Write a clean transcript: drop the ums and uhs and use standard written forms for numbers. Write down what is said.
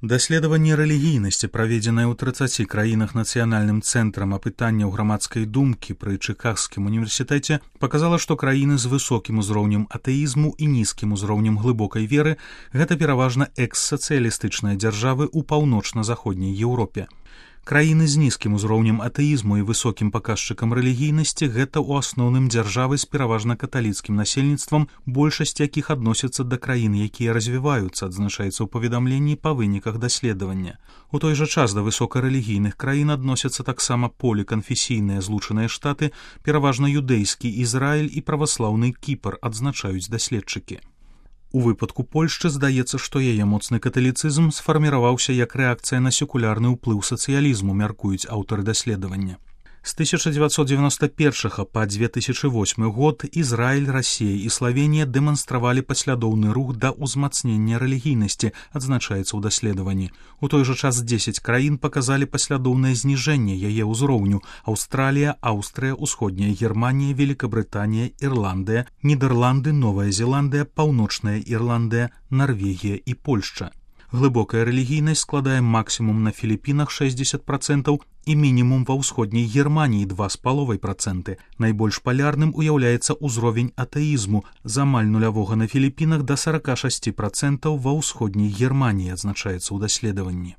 Даследаванне рэлігійнасці, праведзенае ў 30 краінах нацыянальным цэнтрам апытанняў грамадскай думкі пры Чыкагскім універсітэце, паказала, што краіны з высокім узроўнем атэізму і нізкім узроўнем глыбокай веры – гэта пераважна экс-сацыялістычныя дзяржавы ў паўночна-заходняй Еўропе. Краіны з нізкім узроўнем атэізму і высокім паказчыкам рэлігійнасці – гэта ў асноўным дзяржавы з пераважна каталіцкім насельніцтвам, большасць якіх адносяцца да краін, якія развіваюцца, адзначаецца ў паведамленні па выніках даследавання. У той жа час да высокарэлігійных краін адносяцца таксама поліканфесійныя злучаныя штаты, пераважна юдэйскі Ізраіль і праваслаўны Кіпр, адзначаюць даследчыкі. У выпадку Польшчы здаецца, што яе моцны каталіцызм сфарміраваўся як рэакцыя на секулярны ўплыў сацыялізму, мяркуюць аўтары даследавання. З 1991 па 2008 год Ізраіль, Расія і Славенія дэманстравалі паслядоўны рух да ўзмацнення рэлігійнасці, адзначаецца ў даследаванні. У той жа час 10 краін паказалі паслядоўнае зніжэнне яе ўзроўню: Аўстралія, Аўстрыя, Усходняя Германія, Великабрытанія, Ірландыя, Нідерланды, Новая Зеландыя, Паўночная Ірландыя, Нарвегія і Польшча. Глыбокая рэлігійнасць складае максімум на Філіпінах 60% і мінімум ва ўсходняй Германіі 2,5%. Найбольш палярным уяўляецца ўзровень атэізму з амаль нулявога на Філіпінах да 46% ва ўсходняй Германіі, адзначаецца ў даследаванні.